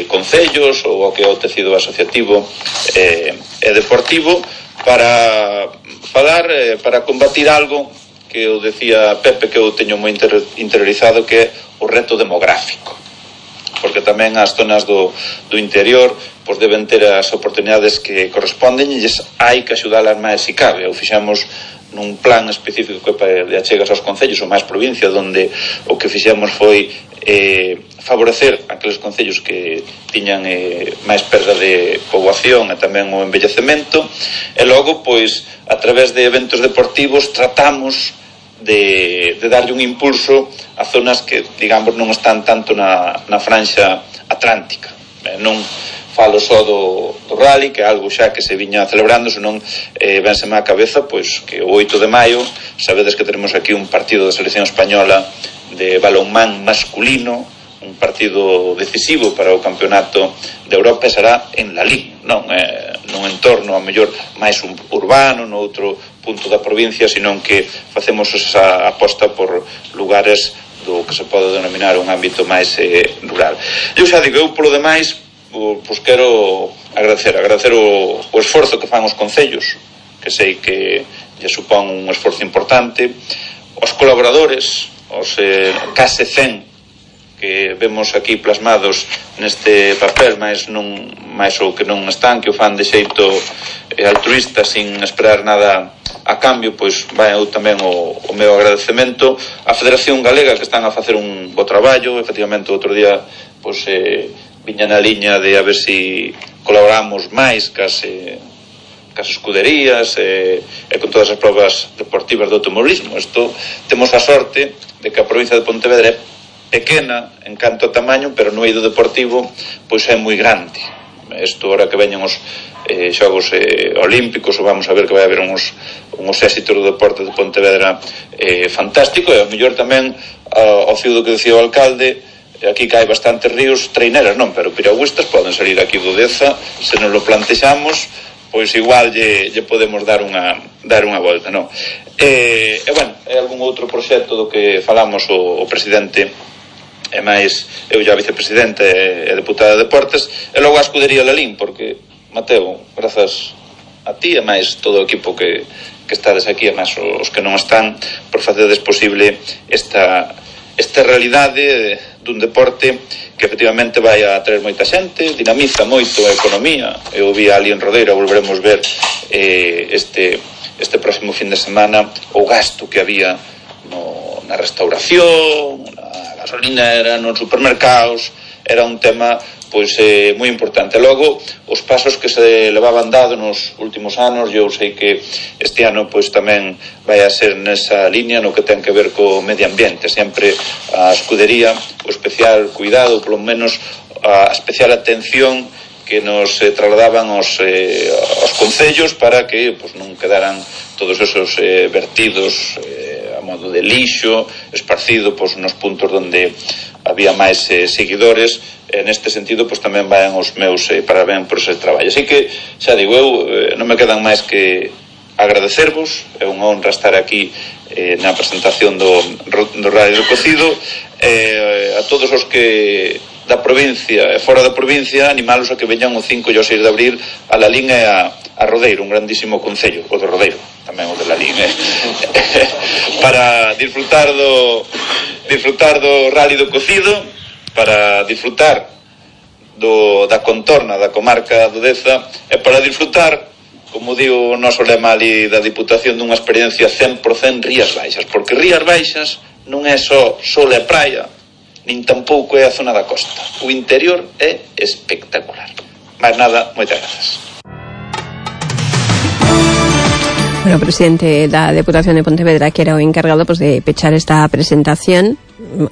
concellos ou ao que é o tecido asociativo e deportivo, para falar, para combatir algo que eu decía Pepe, que eu teño moi interiorizado, que é o reto demográfico. porque tamén as zonas do interior pois deben ter as oportunidades que corresponden e hai que axudalas máis se cabe. O fixemos nun plan específico de achegas aos concellos ou máis provincia, onde o que fixemos foi favorecer aqueles concellos que tiñan máis perda de poboación e tamén o envellecemento, e logo, pois, a través de eventos deportivos tratamos de darlle un impulso a zonas que, digamos, non están tanto na franxa atlántica. Non falo só do rally, que é algo xa que se viña celebrando, senón vénseme á cabeza pois que o 8 de maio sabedes que tenemos aquí un partido da selección española de balonmán masculino, un partido decisivo para o campeonato de Europa, será en Lalín, non nun entorno a mellor máis urbano, no outro punto da provincia, senón que facemos esa aposta por lugares do que se pode denominar un ámbito máis rural. Eu xa digo, eu polo demais pois quero agradecer o esforzo que fan os concellos, que sei que lle supón un esforzo importante, os colaboradores, os case 100 que vemos aquí plasmados neste papel, máis o que non están, que o fan de xeito altruista sin esperar nada a cambio, pois vai eu tamén o meu agradecemento á Federación Galega, que están a facer un bo traballo. Efectivamente, outro día pois viña na liña de a ver si colaboramos máis cas escuderías e con todas as probas deportivas do automobilismo. Isto temos a sorte de que a provincia de Pontevedra é pequena en canto a tamaño, pero no eido deportivo pois é moi grande. Isto, ahora que veñen os Xogos Olímpicos, ou vamos a ver que vai haber uns éxitos do deporte de Pontevedra fantástico, e ao mellor tamén ao fío do que decía o alcalde, aquí que hai bastantes ríos, treineras non, pero piragüistas poden salir aquí do Deza, se nos lo plantexamos, pois igual lle podemos dar unha volta, non? E bueno, é algún outro proxecto do que falamos o presidente e máis eu já vicepresidente e deputada de Deportes, e logo a escudería Lalín, porque Mateo, grazas a ti e máis todo o equipo que estades aquí, e máis os que non están, por facedes posible esta realidade dun deporte que efectivamente vai a traer moita xente, dinamiza moito a economía. Eu vi ali en Rodeiro, volveremos ver este próximo fin de semana o gasto que había na restauración, na gasolinera, nos supermercados. Era un tema pois moi importante. Logo, os pasos que se levaban dado nos últimos anos, eu sei que este ano pois tamén vai a ser nesa liña no que ten que ver co medio ambiente. Sempre a escudería, o especial cuidado, polo menos a especial atención que nos trasladaban aos concellos para que pois non quedaran todos esos vertidos a modo de lixo esparcido pois nos puntos onde había máis seguidores. Neste sentido, pois tamén van os meus parabéns por ese traballo. Así que, xa digo, eu non me quedan máis que agradecervos. É unha honra estar aquí na presentación do Radio do Cocido. A todos os que da provincia e fora da provincia, animalos a que veñan o 5 e o 6 de abril a Lalín e a Rodeiro, un grandísimo concello, o de Rodeiro, tamén o de Lalín, para disfrutar do Rally do Cocido, para disfrutar da contorna da comarca do Deza e para disfrutar, como digo o noso lema ali da Diputación, dunha experiencia 100% Rías Baixas, porque Rías Baixas non é só sol e praia, nin tampouco é a zona da costa. O interior é espectacular. Máis nada, moitas grazas. Bueno, o presidente da Deputación de Pontevedra, que era o encargado pues, de pechar esta presentación.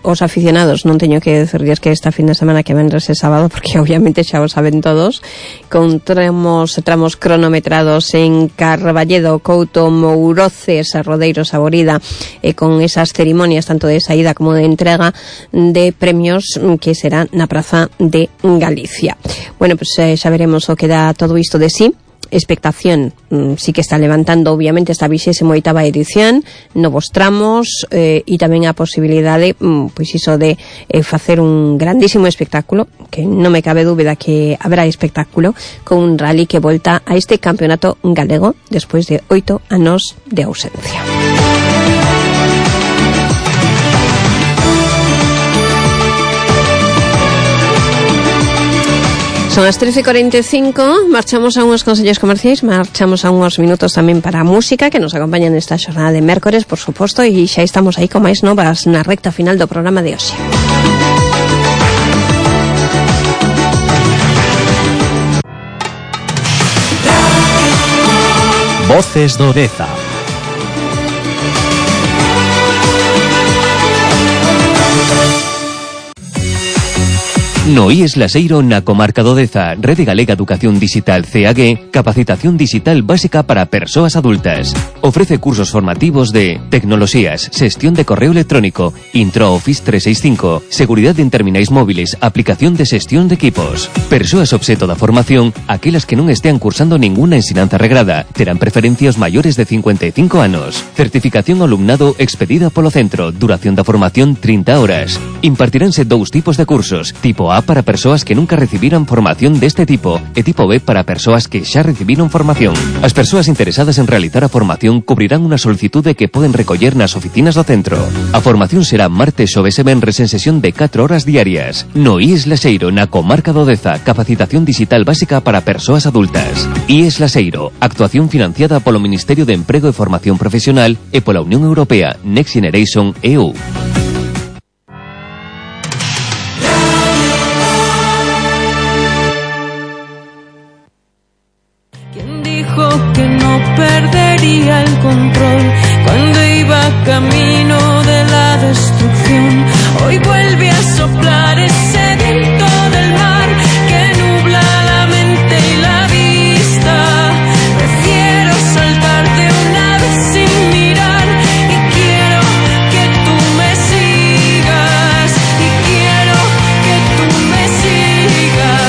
Os aficionados, non teño que decirles que esta fin de semana que vendrá ese sábado, porque obviamente xa o saben todos, con tramos cronometrados en Carballedo, Couto, Mouroces, Rodeiro, Saborida, e con esas cerimonias tanto de saída como de entrega de premios que será na Praza de Galicia. Bueno, pues xa veremos o que dá todo isto de sí. Expectación sí que está levantando obviamente esta 28ª edición, novos tramos e tamén a posibilidade pois iso de facer un grandísimo espectáculo, que non me cabe dúbida que habrá espectáculo con un rally que volta a este campeonato galego despois de 8 anos de ausencia. Son as 13:45, marchamos a unhos consellos comerciais, marchamos a unhos minutos tamén para a música que nos acompaña nesta xornada de mércores, por suposto, e xa estamos aí con máis novas na recta final do programa de hoxe. Voces do Deza. No IES Laseiro na comarca do Deza, Rede Galega Educación Digital CAG, capacitación digital básica para persoas adultas. Ofrece cursos formativos de tecnoloxías, xestión de correo electrónico, Intro Office 365, seguridade en terminais móviles, aplicación de xestión de equipos. Persoas obxeto da formación, aquelas que non estean cursando ninguna ensinanza regrada, terán preferencia os maiores de 55 anos. Certificación ao alumnado expedida polo centro, duración da formación 30 horas. Impartiránse dous tipos de cursos, tipo A para persoas que nunca recibiran formación deste tipo e tipo B para persoas que xa recibiron formación. As persoas interesadas en realizar a formación cubrirán unha solicitude que poden recoller nas oficinas do centro. A formación será martes, xoves e venres en sesión de 4 horas diarias. No IES Laseiro, na comarca do Deza, capacitación digital básica para persoas adultas. IES Laseiro, actuación financiada polo Ministerio de Emprego e Formación Profesional e pola Unión Europea Next Generation EU. Que no perdería el control cuando iba camino de la destrucción. Hoy vuelve a soplar ese viento del mar que nubla la mente y la vista. Prefiero saltar de una vez sin mirar y quiero que tú me sigas y quiero que tú me sigas.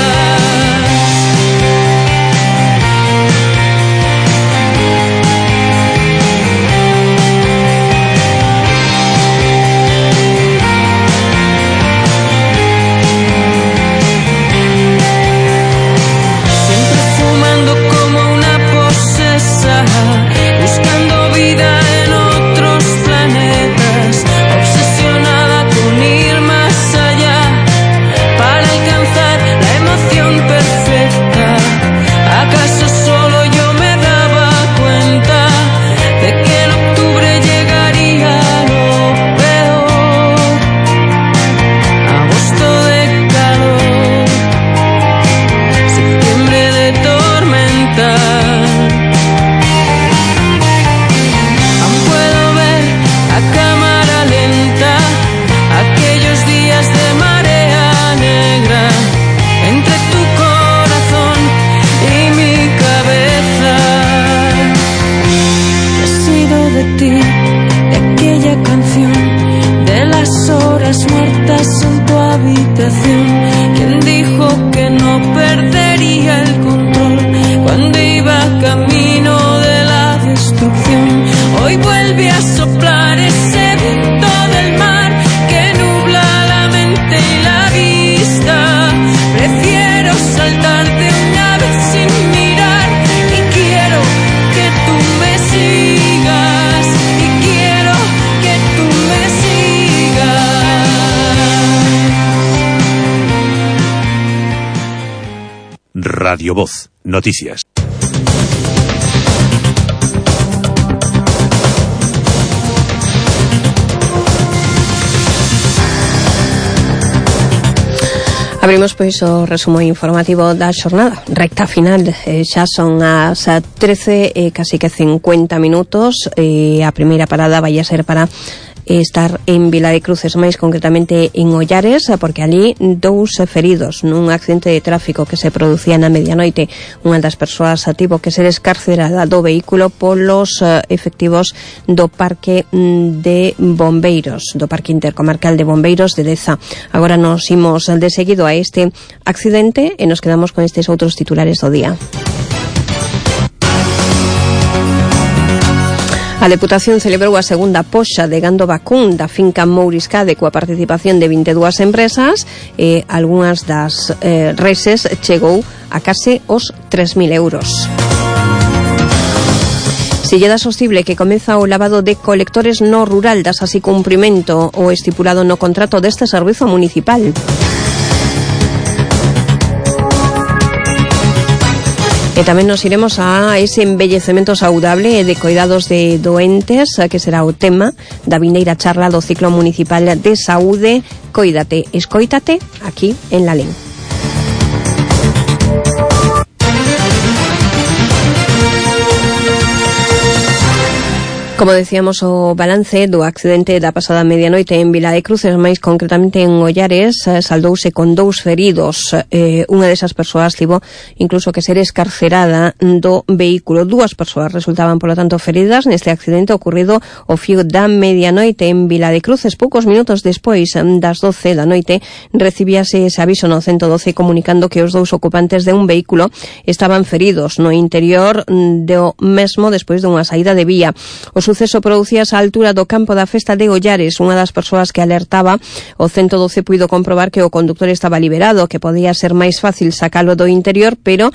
¿Quién dijo que no perdería el control cuando iba camino de la destrucción? Hoy vuelve a soplar ese viento del mar que nubla la mente y la vista. Prefiero saltar de una vez sin mirar y quiero que tú me sigas y quiero que tú me sigas. Radio Voz, noticias. Abrimos pois o resumo informativo da xornada, recta final, xa son as 13 e casi que 50 minutos, a primeira parada vai a ser para estar en Vila de Cruces, máis concretamente en Ollares, porque ali 2 feridos nun accidente de tráfico que se producía na medianoite. Unha das persoas tivo que ser escarcerada do vehículo polos efectivos do Parque de Bombeiros, do Parque Intercomarcal de Bombeiros de Deza. Agora nos imos de seguido a este accidente e nos quedamos con estes outros titulares do día. A Deputación celebrou a segunda poxa de gando vacún da finca Mouriscade coa participación de 22 empresas e algunhas das reses chegou a case os 3.000 euros. Se lle dá sostible que comeza o lavado de colectores no rural, das así cumprimento o estipulado no contrato deste servizo municipal. E tamén nos iremos a ese embellecemento saudable de coidados de doentes, que será o tema da vindeira charla do ciclo municipal de saúde Coídate, escoítate, aquí en Lalín. Como decíamos, o balance do accidente da pasada medianoite en Vila de Cruces, máis concretamente en Ollares, saldouse con 2 feridos. Unha desas persoas tivo incluso que ser escarcerada do vehículo. 2 persoas resultaban, polo tanto, feridas neste accidente ocurrido ao fío da medianoite en Vila de Cruces. Poucos minutos despois das 12 da noite recibíase ese aviso no 112 comunicando que os 2 ocupantes de un vehículo estaban feridos no interior do mesmo despois dunha saída de vía. O suceso producíase á altura do campo da festa de Ollares. Unha das persoas que alertaba o 112 puido comprobar que o conductor estaba liberado, que podía ser máis fácil sacalo do interior, pero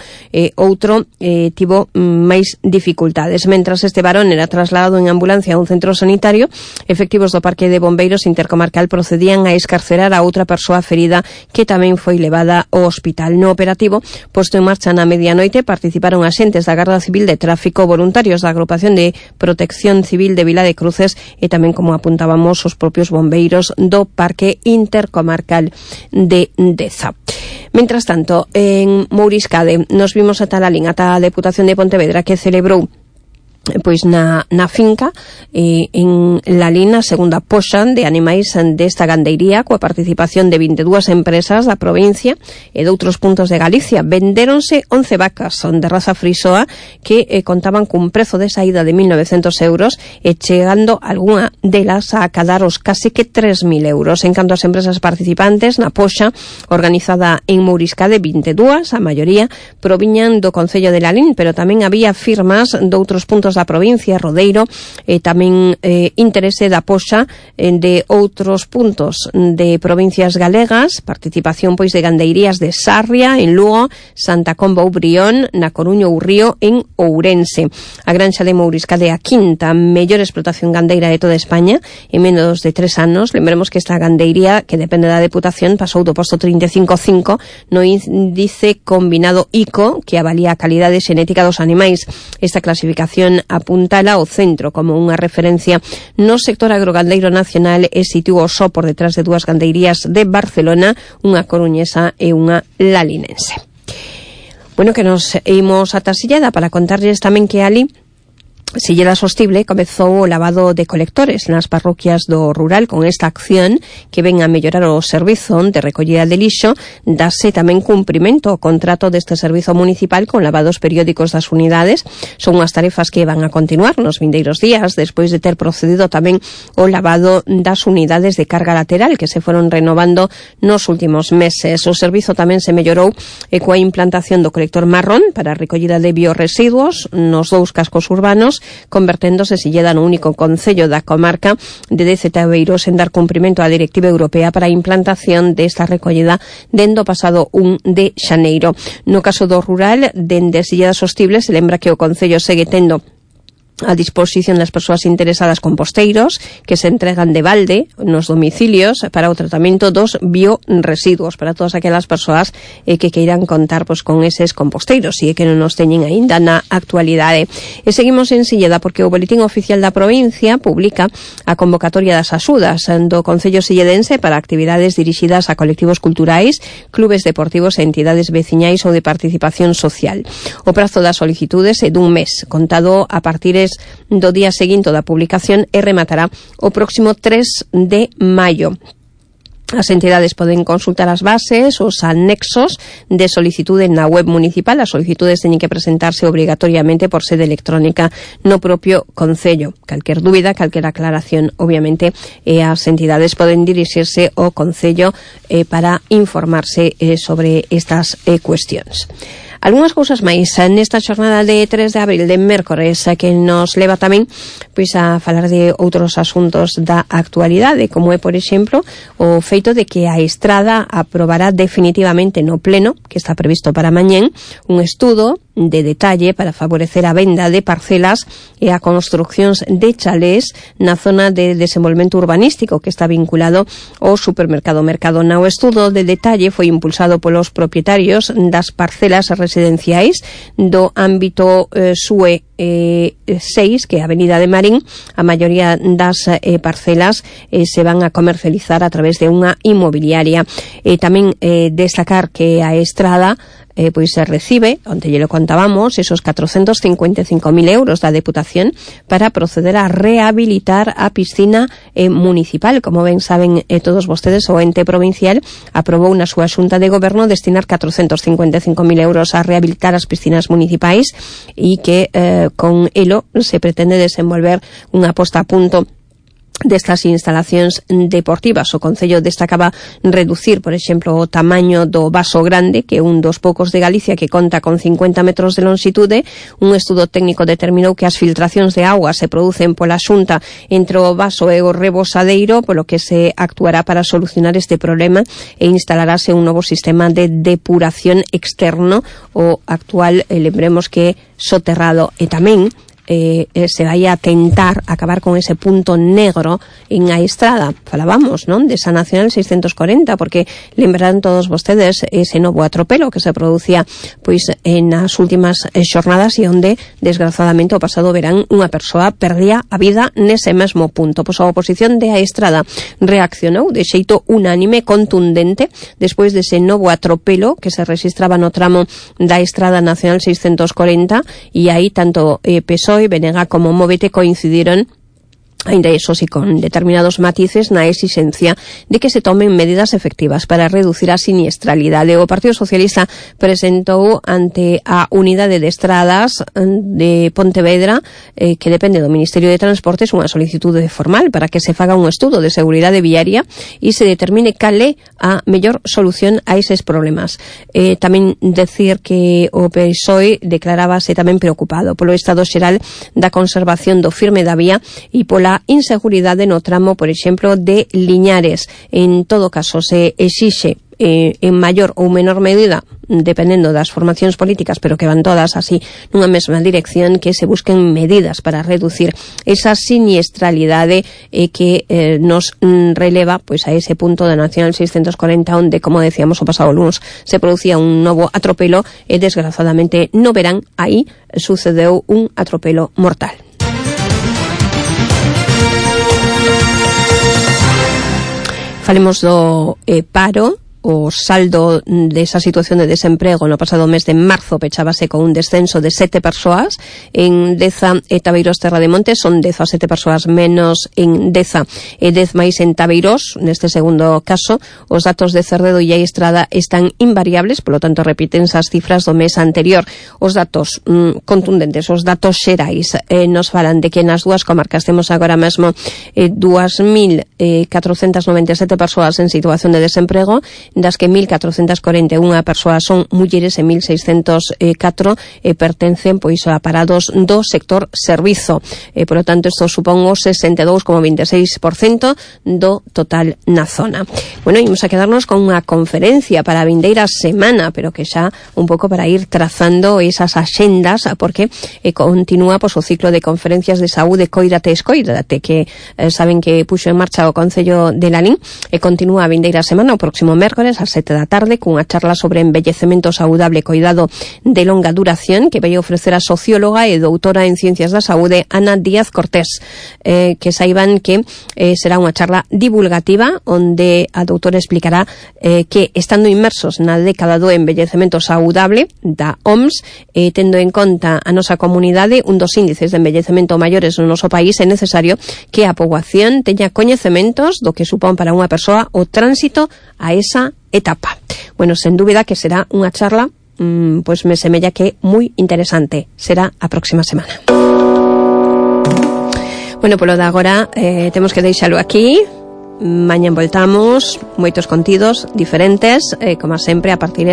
outro tivo máis dificultades. Mentras este varón era trasladado en ambulancia a un centro sanitario, efectivos do Parque de Bombeiros Intercomarcal procedían a escarcerar a outra persoa ferida que tamén foi levada ao hospital. No operativo, posto en marcha na medianoite, participaron axentes da Garda Civil de Tráfico, voluntarios da Agrupación de Protección Civil de Vila de Cruces e tamén, como apuntábamos, os propios bombeiros do Parque Intercomarcal de Deza. Mentras tanto, en Mouriscade nos vimos ata Lalín, ata a Deputación de Pontevedra, que celebrou pois na finca en Lalín a segunda poxa de animais desta gandeiría coa participación de 22 empresas da provincia e de outros puntos de Galicia. Vendéronse 11 vacas de raza frisoa que contaban cun prezo de saída de 1.900 euros e chegando algunha delas a acadar os case que 3.000 euros. En canto ás empresas participantes na poxa organizada en Mouriscade, 22, a maioría proviñan do Concello de Lalín, pero tamén había firmas de outros puntos da provincia, Rodeiro, tamén interese da poxa de outros puntos de provincias galegas, participación pois de gandeirías de Sarria, en Lugo, Santa Comba ou Brión, na Coruña ou Río, en Ourense. A granxa de Mouriscade, a quinta mellor explotación gandeira de toda España, en menos de 3 anos. Lembremos que esta gandeiría, que depende da Deputación, pasou do posto 35.5 no índice combinado ICO, que avalía a calidade xenética dos animais. Esta clasificación apuntala ao centro como unha referencia no sector agrogandeiro nacional e sitúa só por detrás de 2 gandeirías de Barcelona, unha coruñesa e unha lalinense. Bueno, que nos imos ata Silleda para contarlles tamén que ali Silleda Sostible comezou o lavado de colectores nas parroquias do rural. Con esta acción que ven a mellorar o servizo de recollida de lixo, dase tamén cumprimento ao contrato deste servizo municipal con lavados periódicos das unidades. Son unhas tarefas que van a continuar nos vindeiros días, despois de ter procedido tamén o lavado das unidades de carga lateral que se foron renovando nos últimos meses. O servizo tamén se mellorou coa implantación do colector marrón para a recollida de biorresiduos nos 2 cascos urbanos, converténdose Silleda no único concello da comarca de Deza-Aveiros en dar cumprimento á Directiva Europea para a implantación desta recollida dende o pasado 1 de xaneiro. No caso do rural, dende Silleda Sostible se lembra que o concello segue tendo a disposición das persoas interesadas composteiros que se entregan de balde nos domicilios para o tratamento dos bioresiduos para todas aquelas persoas que queiran contar pois con eses composteiros e que non nos teñen aínda na actualidade. E seguimos en Silleda porque o Boletín Oficial da Provincia publica a convocatoria das axudas do Concello Silledense para actividades dirixidas a colectivos culturais, clubes deportivos e entidades veciñais ou de participación social. O prazo das solicitudes é dun mes, contado a partir do día seguinte da publicación e rematará o próximo 3 de maio. As entidades poden consultar as bases, os anexos de solicitude na web municipal. As solicitudes teñen que presentarse obrigatoriamente por sede electrónica no propio concello. Calquer dúbida, calquer aclaración, obviamente, as entidades poden dirixirse ao concello para informarse sobre estas cuestións. Algúnas cousas máis nesta xornada de 3 de abril, de mércores, que nos leva tamén pois a falar de outros asuntos da actualidade, como é, por exemplo, o feito de que a Estrada aprobará definitivamente no pleno, que está previsto para mañén, un estudo de detalle para favorecer a venda de parcelas e a construccións de chalés na zona de desenvolvemento urbanístico que está vinculado ao supermercado Mercadona. O estudo de detalle foi impulsado polos propietarios das parcelas residenciais do ámbito SUE 6, que é a Avenida de Marín. A maioría das parcelas se van a comercializar a través de unha inmobiliaria. Tamén destacar que a Estrada pois se recibe, onde lle lo contábamos, esos 455.000 euros da Deputación para proceder a rehabilitar a piscina municipal. Como ben saben todos vostedes, o ente provincial aprobou na súa xunta de goberno destinar 455.000 euros a rehabilitar as piscinas municipais e que con elo se pretende desenvolver unha posta a punto destas instalacións deportivas. O Concello destacaba reducir, por exemplo, o tamaño do vaso grande, que é un dos poucos de Galicia que conta con 50 metros de longitude. Un estudo técnico determinou que as filtracións de auga se producen pola xunta entre o vaso e o rebosadeiro, polo que se actuará para solucionar este problema e instalarase un novo sistema de depuración externo. O actual, lembremos que soterrado, e tamén se vai a tentar acabar con ese punto negro en a Estrada. Falábamos, non, desa Nacional 640, porque lembrarán todos vostedes ese novo atropelo que se producía pois nas últimas xornadas e onde, desgraciadamente, o pasado verán unha persoa perdía a vida nese mesmo punto. Pois a oposición de a Estrada reaccionou de xeito unánime, contundente, despois dese novo atropelo que se registraba no tramo da Estrada Nacional 640, e aí tanto PSOE, BNG como Móvete coincidiron, ainda eso sí con determinados matices, na exigencia de que se tomen medidas efectivas para reducir a siniestralidade. O Partido Socialista presentou ante a Unidade de Estradas de Pontevedra, que depende do Ministerio de Transportes, unha solicitude formal para que se faga un estudo de seguridade viaria e se determine cal é a mellor solución a eses problemas. Tamén decir que o PSOE declarábase tamén preocupado polo estado xeral da conservación do firme da vía e pola inseguridade no tramo, por exemplo, de Liñares. En todo caso, se exixe en maior ou menor medida, dependendo das formacións políticas, pero que van todas así nunha mesma dirección, que se busquen medidas para reducir esa siniestralidade que nos releva pois a ese punto da Nacional 640, onde, como decíamos, o pasado lunes se producía un novo atropelo e, desgraciadamente, no verán, aí sucedeu un atropelo mortal. Falemos do paro. O saldo desa situación de desemprego no pasado mes de marzo pechábase con un descenso de 7 persoas en Deza e Tabeiros Terra de Montes. Son 17 persoas menos en Deza e 10 máis en Tabeiros. Neste segundo caso, os datos de Cerredo e a Estrada están invariables, polo tanto repítense as cifras do mes anterior. Os datos contundentes, os datos xerais, nos falan de que nas dúas comarcas temos agora mesmo 2.497 persoas en situación de desemprego, das que 1.441 persoas son mulleres e 1.604 pertencen pois a parados do sector servizo. Por lo tanto, isto supón o 62,26% do total na zona. Bueno, imos a quedarnos con unha conferencia para a vindeira semana, pero que xa un pouco para ir trazando esas axendas, porque continúa pois o ciclo de conferencias de saúde Coídate, Escoídate, que saben que puxo en marcha o Concello de Lalín, e continúa a vindeira semana, o próximo mércoles ás 7 da tarde, cunha charla sobre envellecemento saudable e coidado de longa duración, que vai ofrecer a socióloga e doutora en Ciencias da Saúde Ana Díaz Cortés. Que saiban que será unha charla divulgativa onde a doutora explicará que, estando inmersos na década do envellecemento saudable da OMS, tendo en conta a nosa comunidade, un dos índices de envellecemento maiores no noso país, é necesario que a poboación teña coñecementos do que supón para unha persoa o tránsito a esa etapa. Bueno, sen dúbida que será unha charla pois me semella que moi interesante. Será a próxima semana. Bueno, polo de agora temos que deixalo aquí. Mañan voltamos, moitos contidos diferentes, como sempre, a partir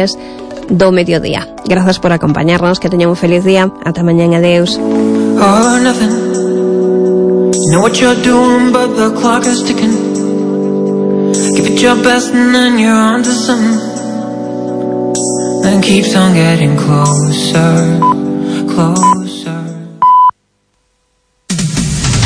do mediodía. Grazas por acompañarnos, que teñan un feliz día. Ata mañan, adeus. All or nothing. You know what you're doing, but the clock is ticking. Give it your best and then you're on to something. Then keeps on getting closer, closer.